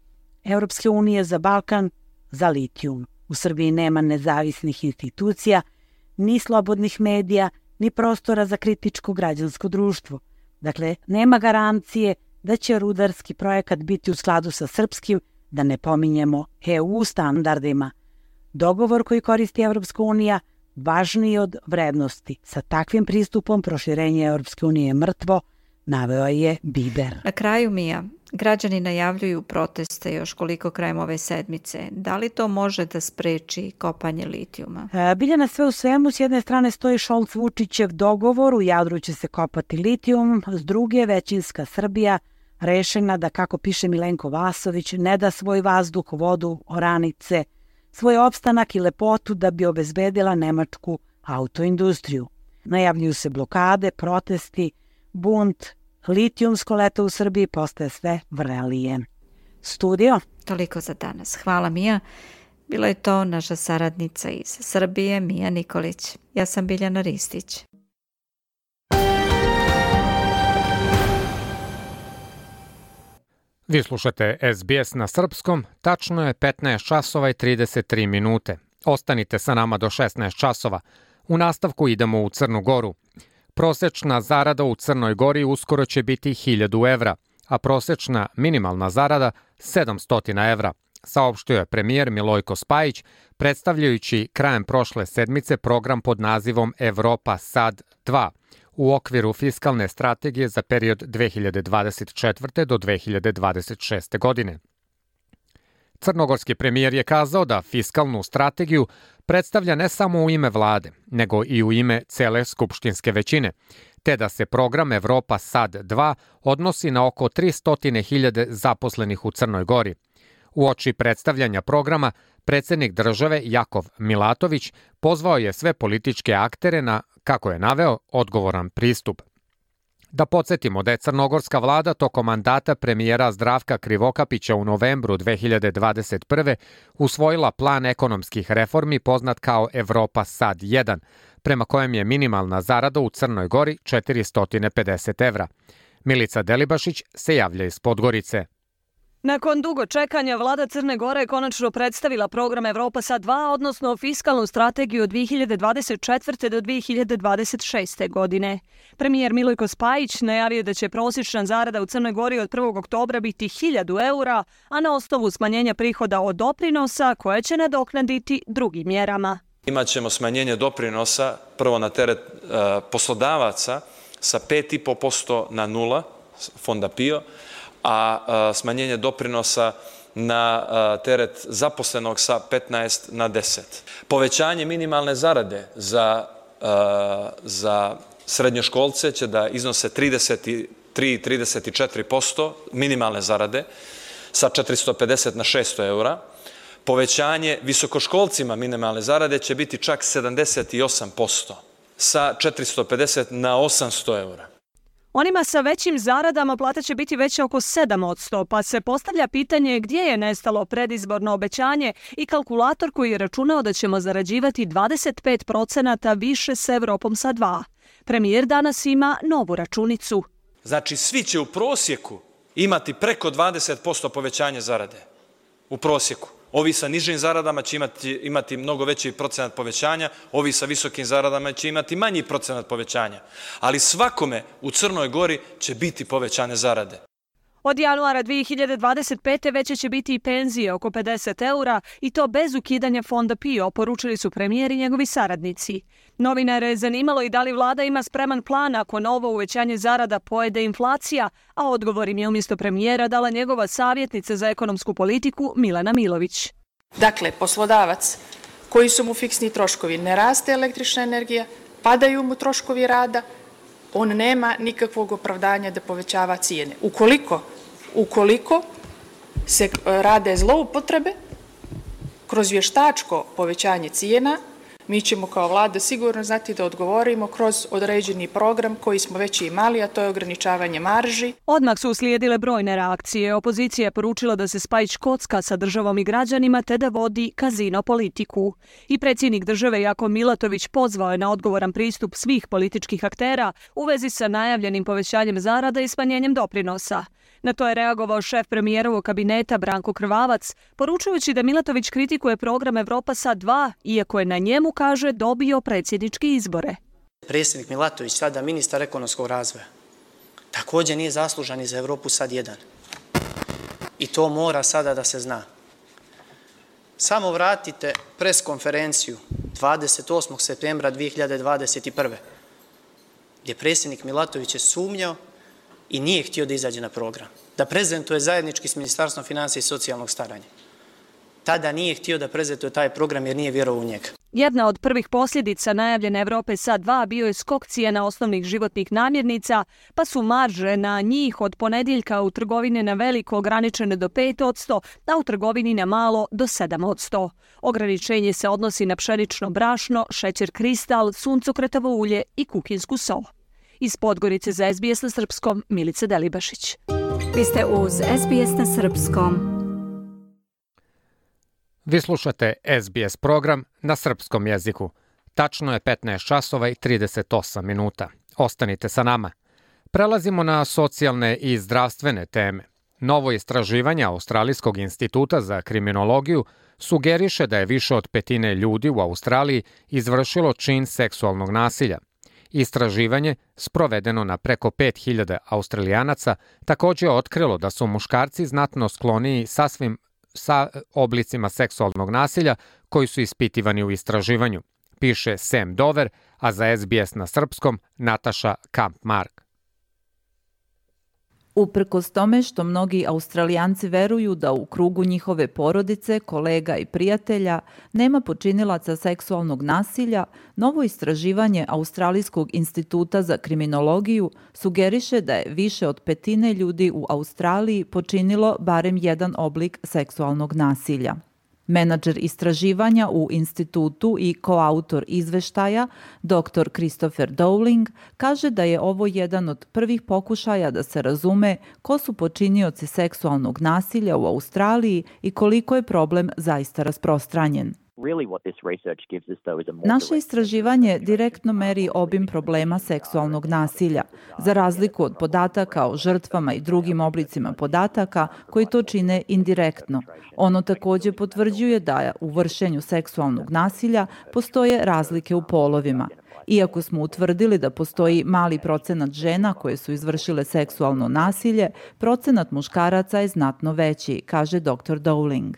Europske unije za Balkan za litijum. U Srbiji nema nezavisnih institucija, ni slobodnih medija, ni prostora za kritičko građansko društvo. Dakle, nema garancije da će rudarski projekat biti u skladu sa srpskim, da ne pominjemo E U standardima. Dogovor koji koristi Evropska unija važniji od vrednosti. Sa takvim pristupom proširenje Evropske unije je mrtvo, naveo je Biber. Na kraju, Mija, građani najavljuju proteste još koliko krajem ove sedmice. Da li to može da spreči kopanje litijuma? E, Biljana, sve u svemu, s jedne strane stoji Scholz-Vučićev dogovor, u Jadru će se kopati litijum, s druge većinska Srbija rešena da, kako piše Milenko Vasović, ne da svoj vazduh, vodu, oranice, svoj opstanak i lepotu da bi obezbedila nemačku autoindustriju. Najavljuju se blokade, protesti, bunt, litijumsko leto u Srbiji postaje sve vrelije. Studio? Toliko za danas. Hvala, Mija. Bila je to naša saradnica iz Srbije, Mija Nikolić. Ja sam Biljana Ristić. Vi slušate S B S na srpskom, tačno je petnaest časova i trideset tri minute. Ostanite sa nama do šesnaest časova. U nastavku idemo u Crnu Goru. Prosečna zarada u Crnoj Gori uskoro će biti hiljadu evra, a prosečna minimalna zarada sedamsto evra, saopštio je premijer Milojko Spajić, predstavljajući krajem prošle sedmice program pod nazivom Evropa sad dva u okviru fiskalne strategije za period dve hiljade dvadeset četvrte do dve hiljade dvadeset šeste. godine. Crnogorski premijer je kazao da fiskalnu strategiju predstavlja ne samo u ime vlade, nego i u ime cele skupštinske većine, te da se program Evropa sad dva odnosi na oko tristo hiljada zaposlenih u Crnoj Gori. Uoči predstavljanja programa, predsjednik države Jakov Milatović pozvao je sve političke aktere na, kako je naveo, odgovoran pristup. Da podsjetimo da je crnogorska vlada tokom mandata premijera Zdravka Krivokapića u novembru dve hiljade dvadeset prve. usvojila plan ekonomskih reformi poznat kao Evropa sad jedan, prema kojem je minimalna zarada u Crnoj Gori četiristo pedeset evra. Milica Delibašić se javlja iz Podgorice. Nakon dugo čekanja, vlada Crne Gore je konačno predstavila program Evropa sad dva, odnosno fiskalnu strategiju od dve hiljade dvadeset četvrte. do dve hiljade dvadeset šeste. godine. Premijer Milojko Spajić najavio da će prosječna zarada u Crnoj Gori od prvog oktobra biti hiljadu eura, a na osnovu smanjenja prihoda od doprinosa koje će nadoknaditi drugim mjerama. Imaćemo smanjenje doprinosa prvo na teret uh, poslodavaca sa pet i po posto na nula, fonda P I O, a smanjenje doprinosa na teret zaposlenog sa petnaest na deset. Povećanje minimalne zarade za, za srednjoškolce će da iznose trideset tri do trideset četiri posto minimalne zarade sa četiristo pedeset na šesto eura. Povećanje visokoškolcima minimalne zarade će biti čak sedamdeset osam posto sa četiristo pedeset na osamsto eura. Onima sa većim zaradama plata će biti veća oko sedam posto, pa se postavlja pitanje gdje je nestalo predizborno obećanje i kalkulator koji je računao da ćemo zarađivati dvadeset pet procenata više s Evropom sa dva. Premijer danas ima novu računicu. Znači, svi će u prosjeku imati preko dvadeset posto povećanje zarade. U prosjeku. Ovi sa nižim zaradama će imati, imati mnogo veći procenat povećanja, ovi sa visokim zaradama će imati manji procenat povećanja. Ali svakome u Crnoj Gori će biti povećane zarade. Od januara dve hiljade dvadeset pete. veće će biti i penzije oko pedeset eura i to bez ukidanja fonda P I O, poručili su premijer i njegovi saradnici. Novinare je zanimalo i da li vlada ima spreman plan ako novo uvećanje zarada pojede inflacija, a odgovor im je umjesto premijera dala njegova savjetnica za ekonomsku politiku Milena Milović. Dakle, poslodavac koji su mu fiksni troškovi, ne raste električna energija, padaju mu troškovi rada, on nema nikakvog opravdanja da povećava cijene. Ukoliko, ukoliko se rade zloupotrebe kroz vještačko povećanje cijena, mi ćemo kao vlada sigurno znati da odgovorimo kroz određeni program koji smo već imali, a to je ograničavanje marži. Odmah su uslijedile brojne reakcije. Opozicija je poručila da se Spajić kocka sa državom i građanima te da vodi kazino politiku. I predsjednik države Jakov Milatović pozvao je na odgovoran pristup svih političkih aktera u vezi sa najavljenim povećanjem zarada i smanjenjem doprinosa. Na to je reagovao šef premijerovog kabineta Branko Krvavac, poručujući da Milatović kritikuje program Evropa sad dva, iako je na njemu, kaže, dobio predsjedničke izbore. Predsjednik Milatović, sada ministar ekonomskog razvoja, također nije zaslužan i za Evropu sad jedan. I to mora sada da se zna. Samo vratite pres konferenciju dvadeset osmog septembra dve hiljade dvadeset prve. gdje predsjednik Milatović je sumnjao i nije htio da izađe na program, da prezentuje zajednički s Ministarstvom financija i socijalnog staranja. Tada nije htio da prezentuje taj program jer nije vjerovao u njega. Jedna od prvih posljedica najavljene Evrope SAD dva bio je skok cijena osnovnih životnih namirnica, pa su marže na njih od ponedjeljka u trgovini na veliko ograničene do pet posto, a u trgovini na malo do sedam posto. Ograničenje se odnosi na pšenično brašno, šećer kristal, suncokretovo ulje i kukinsku so. Iz Podgorice za S B S na srpskom, Milica Delibašić. Vi ste uz S B S na srpskom. Vi slušate S B S program na srpskom jeziku. Tačno je petnaest časova i trideset osam minuta. Ostanite sa nama. Prelazimo na socijalne i zdravstvene teme. Novo istraživanje Australijskog instituta za kriminologiju sugeriše da je više od petine ljudi u Australiji izvršilo čin seksualnog nasilja. Istraživanje, sprovedeno na preko pet hiljada Australijanaca, također je otkrilo da su muškarci znatno skloniji sasvim sa oblicima seksualnog nasilja koji su ispitivani u istraživanju, piše Sam Dover, a za S B S na srpskom Nataša Kampmark. Uprkos tome što mnogi Australijanci veruju da u krugu njihove porodice, kolega i prijatelja nema počinilaca seksualnog nasilja, novo istraživanje Australijskog instituta za kriminologiju sugeriše da je više od petine ljudi u Australiji počinilo barem jedan oblik seksualnog nasilja. Menadžer istraživanja u institutu i koautor izveštaja, doktor Christopher Dowling, kaže da je ovo jedan od prvih pokušaja da se razume ko su počinioci seksualnog nasilja u Australiji i koliko je problem zaista rasprostranjen. Naše istraživanje direktno meri obim problema seksualnog nasilja, za razliku od podataka o žrtvama i drugim oblicima podataka koji to čine indirektno. Ono također potvrđuje da u vršenju seksualnog nasilja postoje razlike u polovima. Iako smo utvrdili da postoji mali procenat žena koje su izvršile seksualno nasilje, procenat muškaraca je znatno veći, kaže doktor Dowling.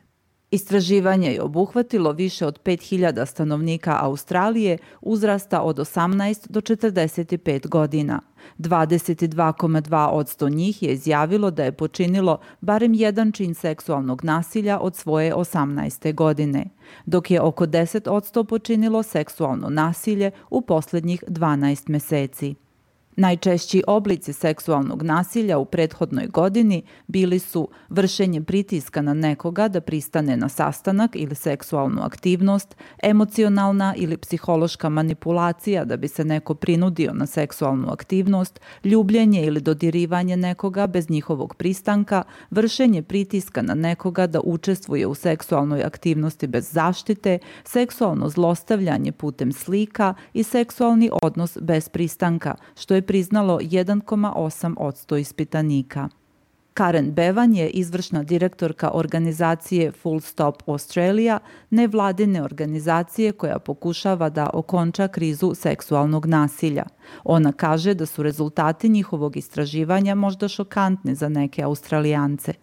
Istraživanje je obuhvatilo više od pet hiljada stanovnika Australije uzrasta od osamnaest do četrdeset pet godina. dvadeset dva zarez dva posto njih je izjavilo da je počinilo barem jedan čin seksualnog nasilja od svoje osamnaeste godine, dok je oko deset posto počinilo seksualno nasilje u posljednjih dvanaest meseci. Najčešći oblici seksualnog nasilja u prethodnoj godini bili su vršenje pritiska na nekoga da pristane na sastanak ili seksualnu aktivnost, emocionalna ili psihološka manipulacija da bi se neko prinudio na seksualnu aktivnost, ljubljenje ili dodirivanje nekoga bez njihovog pristanka, vršenje pritiska na nekoga da učestvuje u seksualnoj aktivnosti bez zaštite, seksualno zlostavljanje putem slika i seksualni odnos bez pristanka, što je priznalo jedan zarez osam posto ispitanika. Karen Bevan je izvršna direktorka organizacije Full Stop Australia, nevladine organizacije koja pokušava da okonča krizu seksualnog nasilja. Ona kaže da su rezultati njihovog istraživanja možda šokantni za neke Australijance.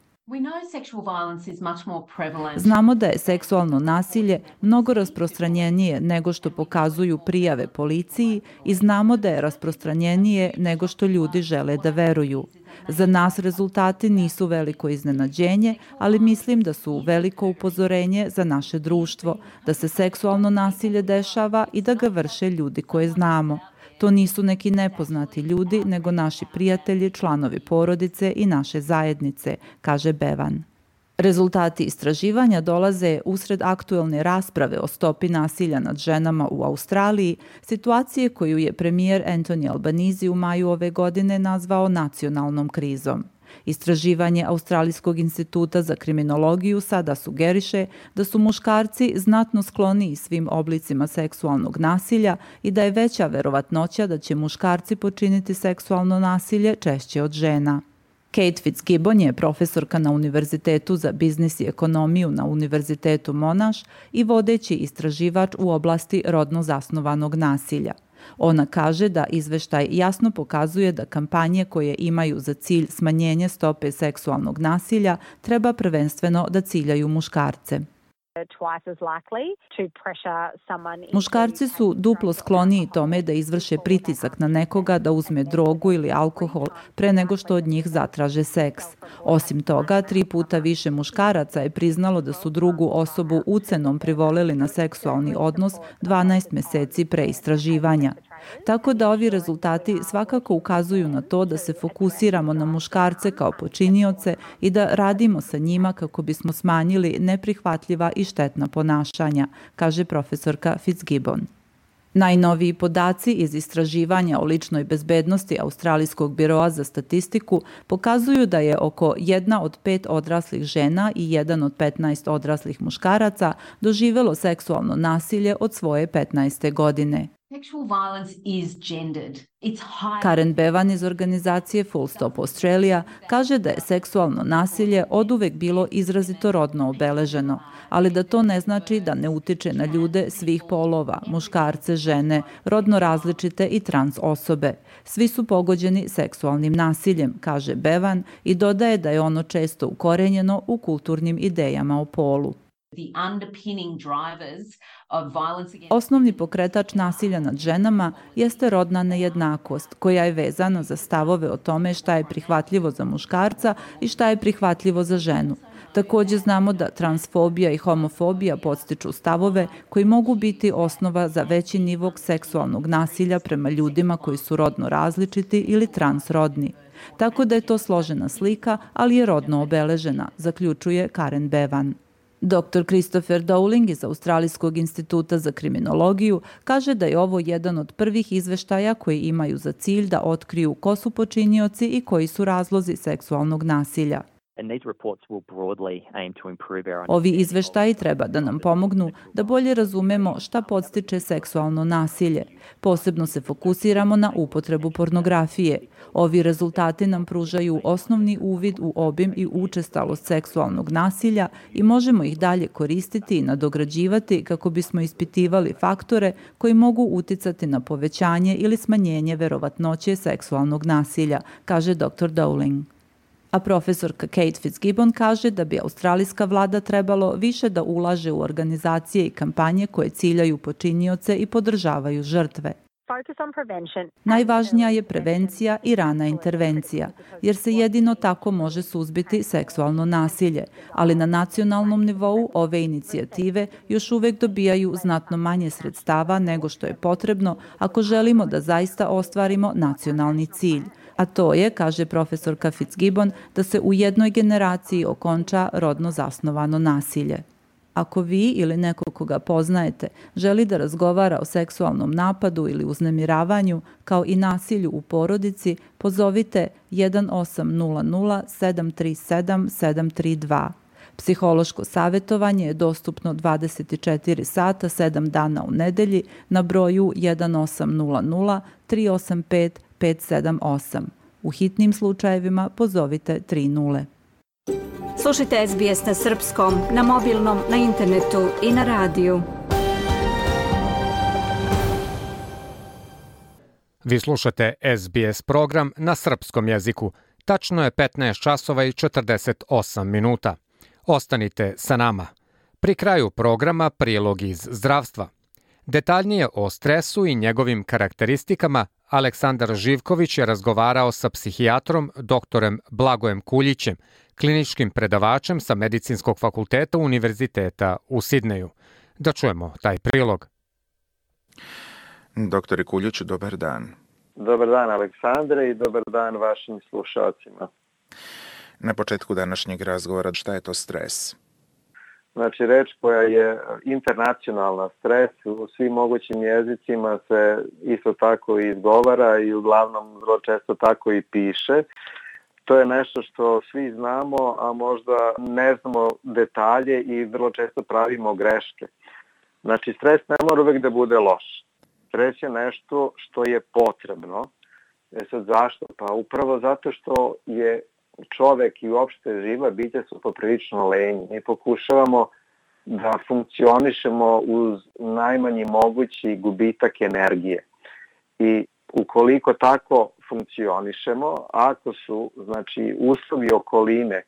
Znamo da je seksualno nasilje mnogo rasprostranjenije nego što pokazuju prijave policiji i znamo da je rasprostranjenije nego što ljudi žele da veruju. Za nas rezultati nisu veliko iznenađenje, ali mislim da su veliko upozorenje za naše društvo, da se seksualno nasilje dešava i da ga vrše ljudi koje znamo. To nisu neki nepoznati ljudi, nego naši prijatelji, članovi porodice i naše zajednice, kaže Bevan. Rezultati istraživanja dolaze usred aktuelne rasprave o stopi nasilja nad ženama u Australiji, situacije koju je premijer Anthony Albanese u maju ove godine nazvao nacionalnom krizom. Istraživanje Australijskog instituta za kriminologiju sada sugeriše da su muškarci znatno skloniji svim oblicima seksualnog nasilja i da je veća verovatnoća da će muškarci počiniti seksualno nasilje češće od žena. Kate Fitzgibbon je profesorka na Univerzitetu za biznis i ekonomiju na Univerzitetu Monash i vodeći istraživač u oblasti rodno zasnovanog nasilja. Ona kaže da izveštaj jasno pokazuje da kampanje koje imaju za cilj smanjenje stope seksualnog nasilja treba prvenstveno da ciljaju muškarce. Muškarci su duplo skloniji tome da izvrše pritisak na nekoga da uzme drogu ili alkohol pre nego što od njih zatraže seks. Osim toga, tri puta više muškaraca je priznalo da su drugu osobu ucenom privoleli na seksualni odnos dvanaest meseci pre istraživanja. Tako da ovi rezultati svakako ukazuju na to da se fokusiramo na muškarce kao počinioce i da radimo sa njima kako bismo smanjili neprihvatljiva i štetna ponašanja, kaže profesorka Fitzgibbon. Najnoviji podaci iz istraživanja o ličnoj bezbednosti Australijskog biroa za statistiku pokazuju da je oko jedna od pet odraslih žena i jedan od petnaest odraslih muškaraca doživelo seksualno nasilje od svoje petnaeste godine. Karen Bevan iz organizacije Full Stop Australia kaže da je seksualno nasilje oduvek bilo izrazito rodno obeleženo, ali da to ne znači da ne utiče na ljude svih polova, muškarce, žene, rodno različite i trans osobe. Svi su pogođeni seksualnim nasiljem, kaže Bevan i dodaje da je ono često ukorenjeno u kulturnim idejama o polu. Osnovni pokretač nasilja nad ženama jeste rodna nejednakost, koja je vezana za stavove o tome šta je prihvatljivo za muškarca i šta je prihvatljivo za ženu. Takođe znamo da transfobija i homofobija podstiču stavove koji mogu biti osnova za veći nivo seksualnog nasilja prema ljudima koji su rodno različiti ili transrodni. Tako da je to složena slika, ali je rodno obeležena, zaključuje Karen Bevan. doktor Christopher Dowling iz Australijskog instituta za kriminologiju kaže da je ovo jedan od prvih izveštaja koji imaju za cilj da otkriju ko su počinioci i koji su razlozi seksualnog nasilja. Ovi izveštaji treba da nam pomognu da bolje razumemo šta podstiče seksualno nasilje. Posebno se fokusiramo na upotrebu pornografije. Ovi rezultati nam pružaju osnovni uvid u obim i učestalost seksualnog nasilja i možemo ih dalje koristiti i nadograđivati kako bismo ispitivali faktore koji mogu uticati na povećanje ili smanjenje verovatnoće seksualnog nasilja, kaže doktor Dowling. A profesorka Kate Fitzgibbon kaže da bi australijska vlada trebalo više da ulaže u organizacije i kampanje koje ciljaju počinioce i podržavaju žrtve. Najvažnija je prevencija i rana intervencija, jer se jedino tako može suzbiti seksualno nasilje, ali na nacionalnom nivou ove inicijative još uvek dobijaju znatno manje sredstava nego što je potrebno ako želimo da zaista ostvarimo nacionalni cilj. A to je, kaže profesorka Fitzgibbon, da se u jednoj generaciji okonča rodno zasnovano nasilje. Ako vi ili neko koga poznajete želi da razgovara o seksualnom napadu ili uznemiravanju, kao i nasilju u porodici, pozovite jedan osam nula nula sedam tri sedam sedam tri dva. Psihološko savjetovanje je dostupno dvadeset četiri sata, sedam dana u nedelji na broju jedan osam nula nula tri osam pet pet sedam osam. U hitnim slučajevima pozovite tri nule. Slušajte S B S na srpskom, na mobilnom, na internetu i na radiju. Vi slušate S B S program na srpskom jeziku. Tačno je petnaest časova i četrdeset osam minuta. Ostanite sa nama. Pri kraju programa prilog iz zdravstva. Detaljnije o stresu i njegovim karakteristikama Aleksandar Živković je razgovarao sa psihijatrom doktorem Blagojem Kuljićem, kliničkim predavačem sa Medicinskog fakulteta Univerziteta u Sidneju. Da čujemo taj prilog. Doktore Kuljiću, dobar dan. Dobar dan, Aleksandre, i dobar dan vašim slušalcima. Na početku današnjeg razgovora, šta je to stres? Znači, reč koja je internacionalna, stres, u svim mogućim jezicima se isto tako i izgovara i uglavnom vrlo često tako i piše. To je nešto što svi znamo, a možda ne znamo detalje i vrlo često pravimo greške. Znači, stres ne mora uvek da bude loš. Stres je nešto što je potrebno. E sad zašto? Pa upravo zato što je čovek i uopšte živa bića su poprilično lenji. Mi pokušavamo da funkcionišemo uz najmanji mogući gubitak energije. I ukoliko tako funkcionišemo, ako su znači uslovi okoline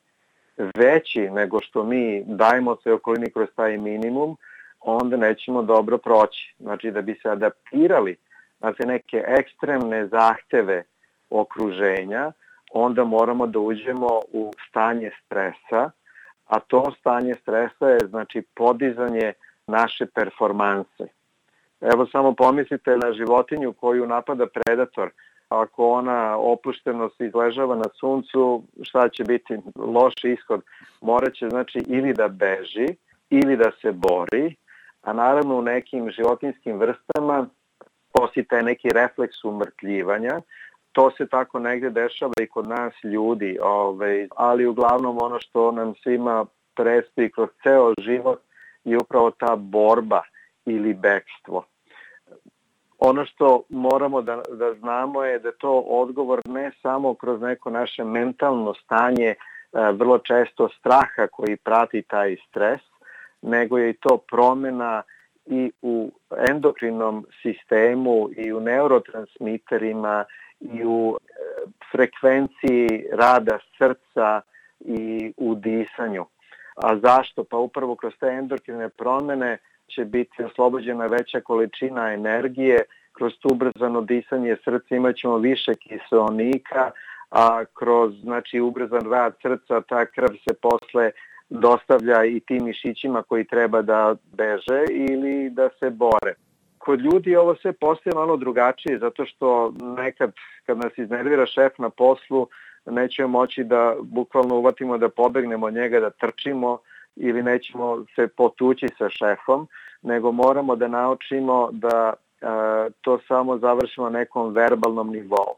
veći nego što mi dajemo svoj okolini kroz taj minimum, onda nećemo dobro proći. Znači da bi se adaptirali na te neke ekstremne zahteve okruženja, onda moramo da uđemo u stanje stresa, a to stanje stresa je znači podizanje naše performanse. Evo samo pomislite na životinju koju napada predator. Ako ona opušteno se izležava na suncu, šta će biti loš ishod? Moraće znači ili da beži ili da se bori, a naravno u nekim životinskim vrstama postoji taj neki refleks umrtljivanja. To se tako negde dešava i kod nas ljudi, ovaj, ali uglavnom ono što nam svima predstoji kroz ceo život je upravo ta borba ili bekstvo. Ono što moramo da, da znamo je da to odgovor ne samo kroz neko naše mentalno stanje, vrlo često straha koji prati taj stres, nego je i to promjena i u endokrinom sistemu i u neurotransmiterima i u frekvenciji rada srca i u disanju. A zašto? Pa upravo kroz te endokrine promjene će biti oslobođena veća količina energije, kroz to ubrzano disanje srca imat ćemo više kiseonika, a kroz znači, ubrzan rad srca ta krv se posle dostavlja i tim mišićima koji treba da beže ili da se bore. Kod ljudi ovo sve postaje malo drugačije, zato što nekad kad nas iznervira šef na poslu, nećemo moći da bukvalno uvatimo da pobegnemo od njega, da trčimo ili nećemo se potući sa šefom, nego moramo da naučimo da e, to samo završimo na nekom verbalnom nivou.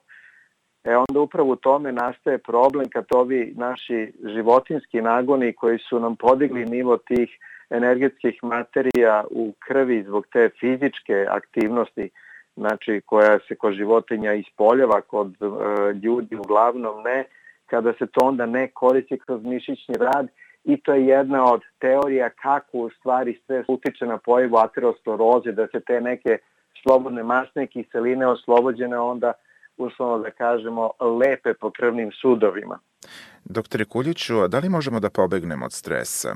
E onda upravo u tome nastaje problem kad ovi naši životinski nagoni koji su nam podigli nivo tih energetskih materija u krvi zbog te fizičke aktivnosti, znači koja se kod životinja ispoljava, kod e, ljudi uglavnom ne, kada se to onda ne koristi kroz mišićni rad, i to je jedna od teorija kako u stvari stres utiče na pojavu ateroskleroze, da se te neke slobodne masne kiseline oslobođene onda uslovno da kažemo lepe po krvnim sudovima. Doktore Kuljiću, da li možemo da pobegnemo od stresa?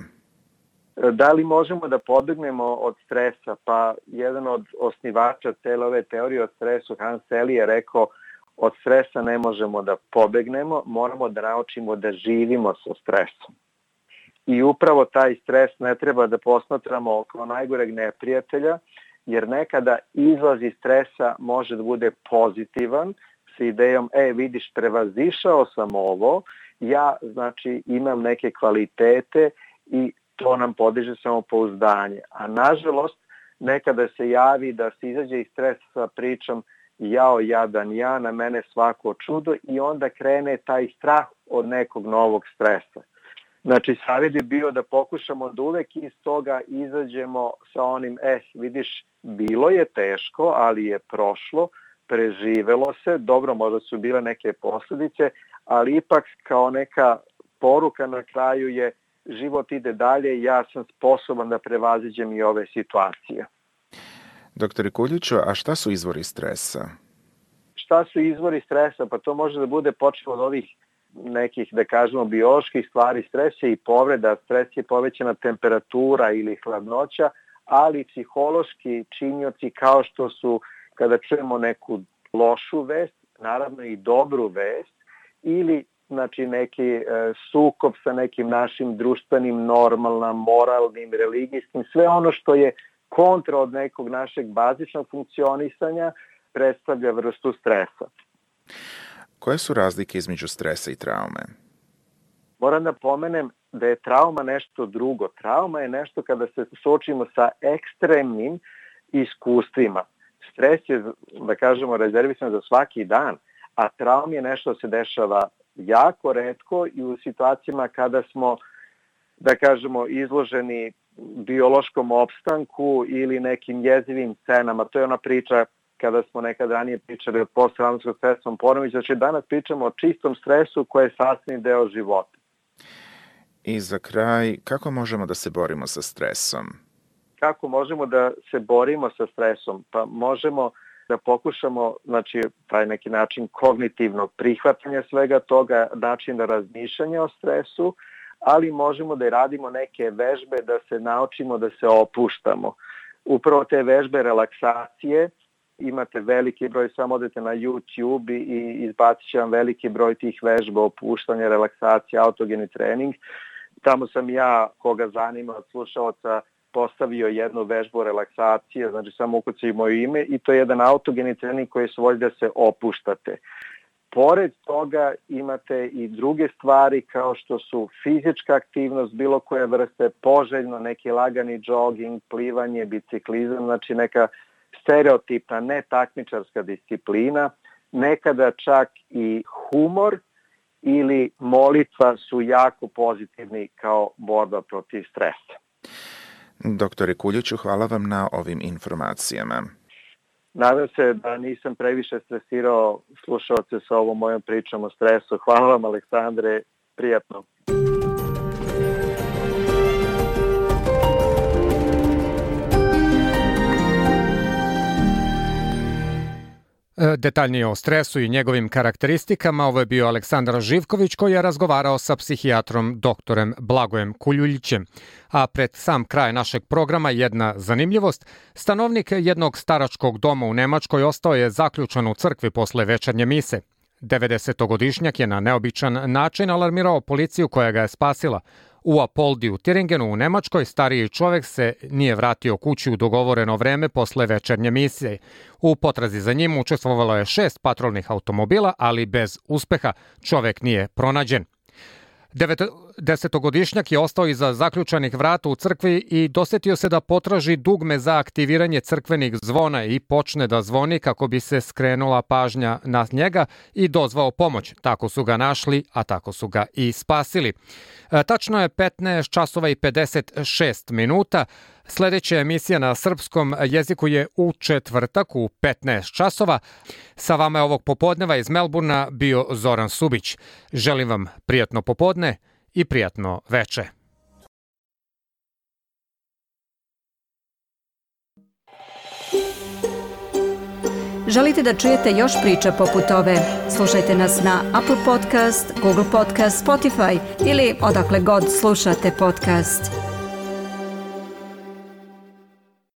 Da li možemo da pobegnemo od stresa? Pa jedan od osnivača cele ove teorije o stresu, Hans Selye, je rekao od stresa ne možemo da pobegnemo, moramo da naučimo da živimo sa stresom. I upravo taj stres ne treba da posmatramo kao najgoreg neprijatelja, jer nekada izlaz iz stresa može da bude pozitivan, sa idejom, e vidiš, prevazišao sam ovo, ja znači imam neke kvalitete i to nam podiže samopouzdanje. A nažalost, nekada se javi da se izađe iz stresa sa pričom jao jadan ja, na mene svako čudo, i onda krene taj strah od nekog novog stresa. Znači, savjet je bio da pokušamo da uvek iz toga izađemo sa onim, eh, vidiš, bilo je teško, ali je prošlo, preživelo se, dobro, možda su bile neke posljedice, ali ipak kao neka poruka na kraju je život ide dalje i ja sam sposoban da prevaziđem i ove situacije. Doktore Kuljiću, a šta su izvori stresa? Šta su izvori stresa? Pa to može da bude počelo od ovih nekih, da kažemo, bioloških stvari. Stres je i povreda, stres je povećana temperatura ili hladnoća, ali psihološki činioci kao što su kada čujemo neku lošu vest, naravno i dobru vest, ili znači neki e, sukob sa nekim našim društvenim normalnim, moralnim, religijskim, sve ono što je kontra od nekog našeg bazičnog funkcionisanja predstavlja vrstu stresa. Koje su razlike između stresa i traume? Moram da pomenem da je trauma nešto drugo. Trauma je nešto kada se suočimo sa ekstremnim iskustvima. Stres je, da kažemo, rezervisan za svaki dan, a traum je nešto se dešava jako retko i u situacijama kada smo, da kažemo, izloženi biološkom opstanku ili nekim jezivim scenama. To je ona priča kada smo nekad ranije pričali o posttraumatskom stresnom poremećaju. Znači danas pričamo o čistom stresu koji je sastavni deo života. I za kraj, kako možemo da se borimo sa stresom? Kako možemo da se borimo sa stresom? Pa možemo da pokušamo, znači, taj neki način kognitivnog prihvatanja svega toga, način da razmišljanja o stresu, ali možemo da i radimo neke vežbe da se naučimo da se opuštamo. Upravo te vežbe relaksacije imate veliki broj, samo odete na YouTube i izbacit će vam veliki broj tih vežba, opuštanja, relaksacija, autogeni trening. Tamo sam ja, koga zanima od slušalaca, postavio jednu vežbu relaksacije, znači samo ukucaj moje ime i to je jedan autogeni trening koji se vodi da se opuštate. Pored toga imate i druge stvari kao što su fizička aktivnost, bilo koje vrste, poželjno, neki lagani jogging, plivanje, biciklizam, znači neka stereotipna, netakmičarska disciplina, nekada čak i humor ili molitva su jako pozitivni kao borba protiv stresa. Doktore Kuljiću, hvala vam na ovim informacijama. Nadam se da nisam previše stresirao slušalce sa ovom mojom pričom o stresu. Hvala vam, Aleksandre, prijatno. Detaljnije o stresu i njegovim karakteristikama ovo je bio Aleksandar Živković koji je razgovarao sa psihijatrom doktorem Blagojem Kuljulićem. A pred sam kraj našeg programa jedna zanimljivost. Stanovnik jednog staračkog doma u Nemačkoj ostao je zaključan u crkvi posle večernje mise. devedesetogodišnjak je na neobičan način alarmirao policiju koja ga je spasila. U Apoldi u Tiringenu u Nemačkoj stariji čovjek se nije vratio kući u dogovoreno vreme posle večernje misije. U potrazi za njim učestvovalo je šest patrolnih automobila, ali bez uspeha čovjek nije pronađen. Desetogodišnjak je ostao iza zaključanih vrata u crkvi i dosetio se da potraži dugme za aktiviranje crkvenih zvona i počne da zvoni kako bi se skrenula pažnja na njega i dozvao pomoć. Tako su ga našli, a tako su ga i spasili. E, tačno je petnaest časova i pedeset šest minuta. Sljedeća emisija na srpskom jeziku je u četvrtak u petnaest časova. Sa vama je ovog popodneva iz Melburna bio Zoran Subić. Želim vam prijatno popodne i prijatno veče. Želite da čujete još priča poput ove? Slušajte nas na Apple Podcast, Google Podcast, Spotify ili odakle god slušate podcast.